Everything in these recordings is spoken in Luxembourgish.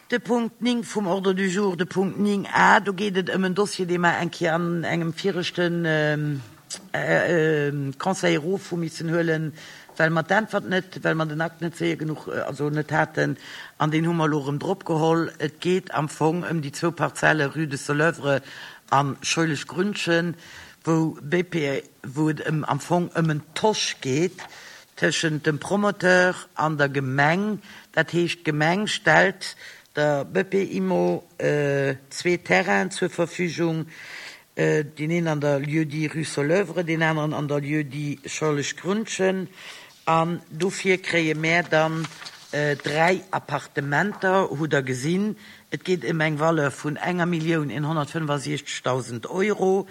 De Punkt 9 vum Ordre du jour, de Punkt 9 a, do geet et ëm en Dossier, dee mer eng Kéier an engem viregte Conseil erof hu missen huelen, well mer d'Äntwert net, well mer den Akt net séier genuch, also net haten, an deen hu mer elo erëm drop geholl. Et geet am Fong ëm déi zwou Parzelle Rue de Soleuvre a Scheuleschgründchen, wou BP, wou et ëm am Fong ëm en Tosch geet tëschent dem Promoteur an der Gemeng. Dat heescht, d'Gemeng stellt der BP-Immo zwee Terrainen zur Verfügung, deen een an der Lieu-dit Rue Soleuvre, deen aneren an der Lieu-dit Schorleschgründchen. An dofir kréie mär dann dräi Appartementer, hutt Der gesinn. Et geet ëm eng Valeur vun enger Millioun 165.000 Euro.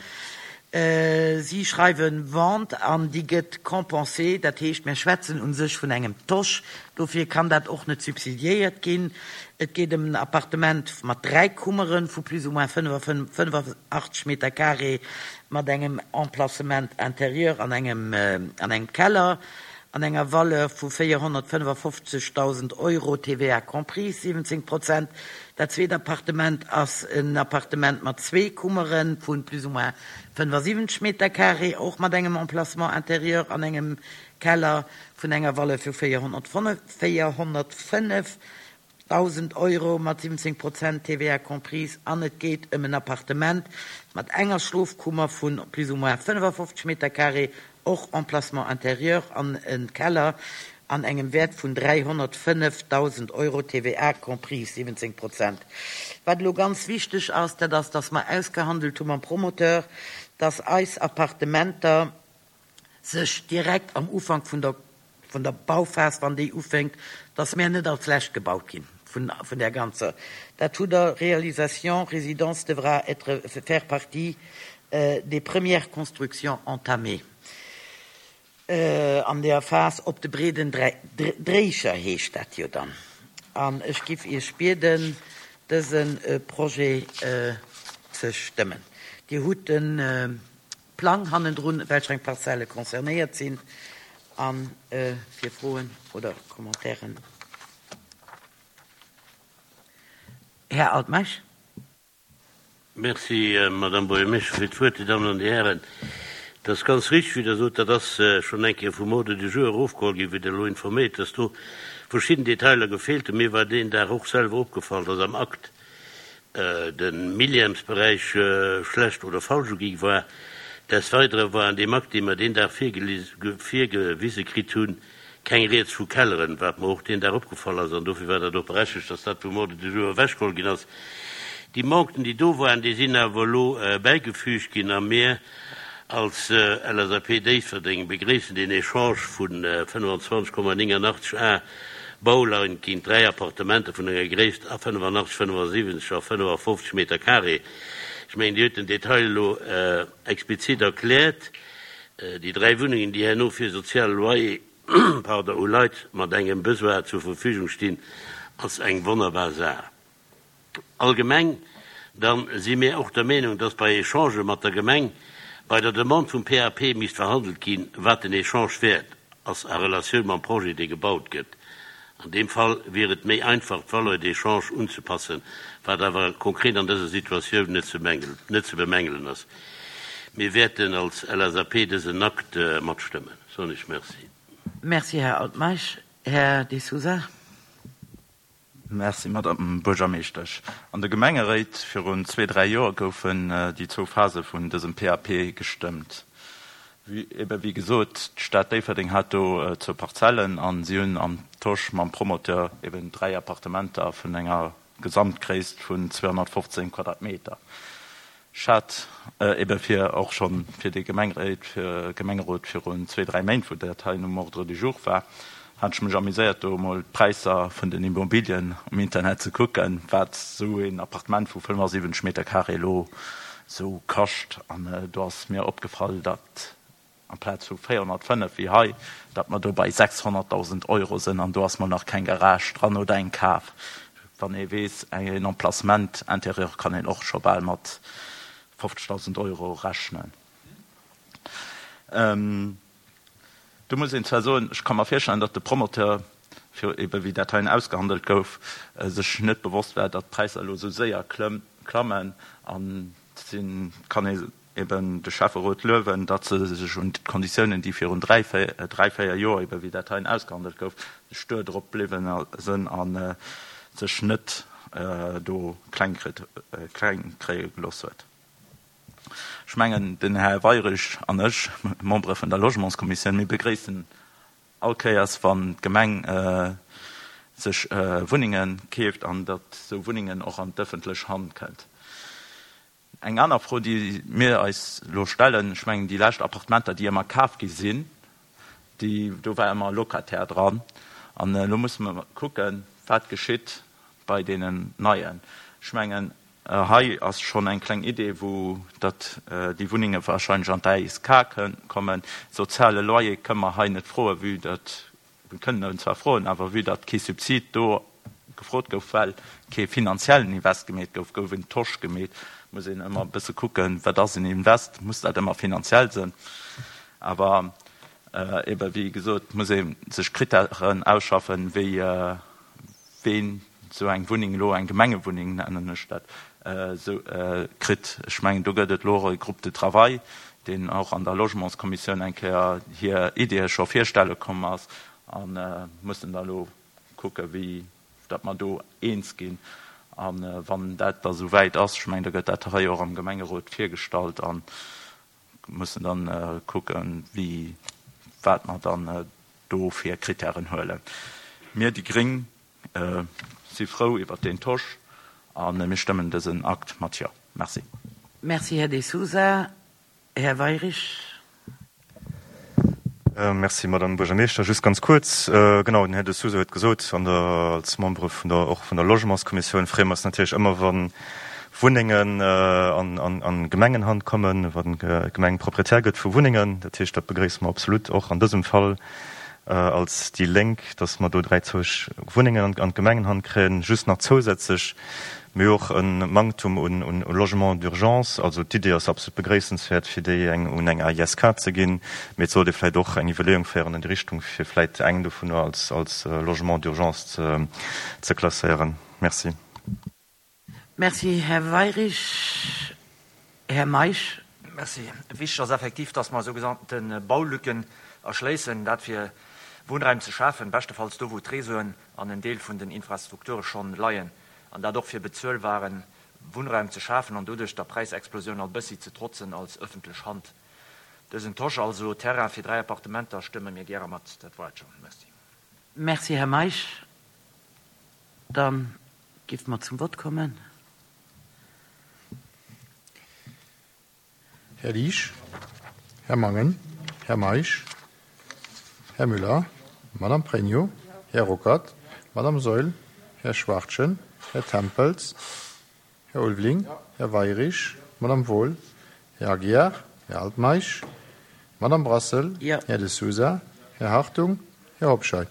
Si schreiwe Vente an déi gëtt compensée, dat heescht, mir schwätzen u sech vun engem Tosch. Dofir kann dat och net subsidiéiert ginn. Et geet ëm en Appartement mat dräi Kummere vu plus ou moins 85 Meter carré mat engem Emplacement intérieur an engem an engem Keller an enger Valeur vu 455.000 Euro, TVA comprise, 17 Prozent. Dat zweet Appartement ass en Appartement mat zwee Kummere vu plus ou moins 75 Meter carré, och mat engem Emplacement intérieur an engem Keller vun enger Valeur vu 405.000 Euro mat 17 Prozent TVA comprise. An et geet ëm en Appartement mat enger Schlofkummer vu plus ou moins 55 Meter carré, och Emplacement intérieur an e Keller an engem Wäert vun 305.000 Euro, TVA comprise, 17 Prozent. Wat elo ganz wichteg ass, dat ass, dass mer ausgehandelt hu mam Promoteur, dass eis Appartementer sech direkt am Ufank vun der vun der Bauphas, wann déi ufänkt, dass mär net als Lescht gebaut ginn vun vun där ganzer, dat hutt Der, Réalisation résidence devra être faire partie des premières constructions entamées. An der Phas op de breeden Dréicher heescht dat jo dann. An ech giff Iech bieden, dëse Projet ze stëmmen. Dir hutt de Plang hannendrun, welcher eng Parzelle concernéiert sinn. A fir Froen oder Commentairen, Här Altmeisch. Merci, Madame Buergermeeschtesch, fir d'Wuert. Dir Dammen an Dir Hären, et ass ganz richtig, wéi Der sot, dat ass schonn eng Kéier vum Ordre du jour erofgeholl ginn, wéi Der elo informéiert, dass do verschidden Detailer gefeelt hunn. Mir war deen Dag och selwer opgefall, dass am Akt de Millièmesberäich schlecht oder falsch ugi war. Des Weidere war an deem Akt, dee mer deen Dag virgewise kritt hunn, Keng Rieds vu Kelleren, wat mer och deen Dag opgefall ass, an dofir war dat och berechtigt, dass dat vum Ordre du jour ewechgeholl ginn ass. Déi Manquen, déi do waren, déi sinn awer elo bäigefügt ginn, a mir als LSAP Déifferdeng begréissen deen Echange vu 25,89 Ar Bauland géint dräi Appartementer vun enger Gréisst a 85, 75 a 55 Meter carré. Ech mengen, Dir hutt den Detail elo explizit erkläert. Déi dräi Wunnengen, déi herno fir soziale Loyer, pardon, u Leit mat engem Besoin zur Verfügung stinn, ass eng wonnerbar Saach. Allgemeng dann si mir och der Meenung, dass bei Echangë mat der Gemeng bei der Demande vum PAP misst verhandelt ginn, wat den Echange wäert ass a Relatioun mam Projet, dee gebaut gëtt. An deem Fall wier et méi einfach, d'Valeur d'échange unzepassen, wat awer konkret an dëser Situatioun net ze bemängelen ass. Mir wäerten als LSAP dësen Akt matstëmmen. Soen ech Merci. Merci, Här Altmeisch. Här De Sousa. Merci, Madame Buergermeeschtesch. An de Gemengeréit virun zwee, dräi Joer goufen déi zwou Phase vun dësem PAP gestëmmt. Ebe wéi gesot, d'Stad Déifferdeng hat do zwou Parzellen a si hunn am Tosch mam Promoteur eben dräi Appartementer vun enger Gesamtgréisst vun 215 Quadratmeter. Ech hat ebe fir och scho fir de Gemengeréit, Gemengerot virun zwee, dräi Méint, wou dat hei um Ordre du jour war, hat ech mech amuséiert do emol d'Präisser vun den Immobilien um Internet ze kucken, wat esou een Appartement vu 75 Meter carré elo esou kascht. An do ass mir opgefall, datt amplaz vu 405 wéi hei, datt mer do bei 600.000 Euro sinn an do ass mol nach keng Garage dran oder eng Kaf. Wann ee weess, en Emplacement intérieur kann een och scho bal mat 50.000 Euro rechnen. Do muss een zwar soen, ech ka mer virstellen, datt de Promoteur. fir ebe wéi dat heien ausgehandelt gouf, sech net bewosst war, datt d'Präisser elo esou séier klammen. An et kann ee eben de Schäfferot luewen, datt se sech un d'Konditiounen, déi virun 3, 4 Joer, ebe wéi dat heien ausgehandelt gouf, stur drop bliwwen sënn a sech net do kleng kréie gelooss huet. Ech mengen, den Här Weirich an ech, Membere vun der Logementskommissioun, mir begréissen all Kéiers, wann d'Gemeng sech Wunnenge keeft an datt esou Wunnengen och an d'ëffentlech Hand kënnt. Eng aner Fro, déi mir eis elo stellen, ech mengen, déi lescht Appartementer, déi ëmmer kaf gi sinn, déi, do war ëmmer e Locataire dran. An elo musse mer kucken, wat geschitt bei deenen neien. Ech mengen, hei ass schonn eng kleng Idee, wou datt déi Wunnenge wahrscheinlech an d'ASK kommen. Soziale Loyer kënne mer hei net froen, vue datt Mir kënnen en zwar froen, awer vue datt kee Subsid do gefrot gouf, well kee finanziellen Invest gemeet gouf, gouf en Tosch gemeet. Muss een ëmmer e bësse kucken, wat ass en Invest, muss dat ëmmer finanziell sinn? Awer ebe wéi gesot, muss ee sech Krittären ausschaffen, wéi ween esou eng Wunneng elo, eng Gemengewunneng nennen ech dat, esou kritt. Ech mengen, do gëtt et elo och e Groupe de travail, deen och an der Logementskommissioun eng Kéier hir Ideeë scho virstelle komm ass a mussen da elo kucke wéi datt mer do eens ginn. A wann dat da esou wäit ass, ech mengen, da gëtt dat hei och am Gemengerot virgestallt a mussen dann kucken, wéi wat mer dann do fir Kritären huelen. Mir, déi gréng, si frou iwwert deen Tosch a mir stëmmen dësen Akt mat Jo. Merci. Merci, Här De Sousa. Här Weirich. Merci, Madame Buergermeeschter. Just ganz kuerz, genau, den Här De Sousa huet gesot, an der, als Membere vun der, och vun der Logementskommissioun freeë mer eis natierlech ëmmer, wa Wunnengen an Gemengenhand kommen, wann d'Gemeng Proprietär gëtt vu Wunnengen. Dat heescht, dat begréisse mer absolut och an dësem Fall als déi Lénk, datt mer do 30 Wunnengen an d'Gemengenhand kréien. Just nach zousätzlech, mir hu och e Manktum un Logements d'urgence. Also d'Idee ass absolut begréissenswäert, fir déi eng un eng AISK ze ginn, mee et sollt ee vläicht och eng Iwwerleeung féieren an déi Richtung, fir vläicht eng dovunner als Logement d'urgence ze klasséieren. Merci. Merci, Här Weirich. Här Meisch. Merci. Wichteg ass effektiv, dass mer sougenannte Baulücken erschléissen, dat fir Wunnraim ze schafen, beschtefalls do, wou d'Réseauen an en Deel vun den Infrastrukture schonn leien, an dat och fir bezuelbare Wunnraum ze schafen an doduerch der Präisexplosioun all bëssi ze trotzen als ëffentlech Hand. Dësen Tosch, also Terrain fir 3 Appartementer, stëmme mir gäre mat. Dat war et schonn. Merci. Merci, Här Meisch. Dann Giff mer zum Vott kommen. Här Liesch, Här Mangen, Här Meisch, Här Müller, Madame Pregno, Här Ruckert, Madame Saeul, Här Schwachtgen, Här Tempels, Här Ulveling, Här Weirich, Madame Wohl, Här Aguiar, Här Altmeisch, Madame Brassel, Här De Sousa, Här Hartung, Här Hobscheit.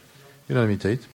Unanimitéit.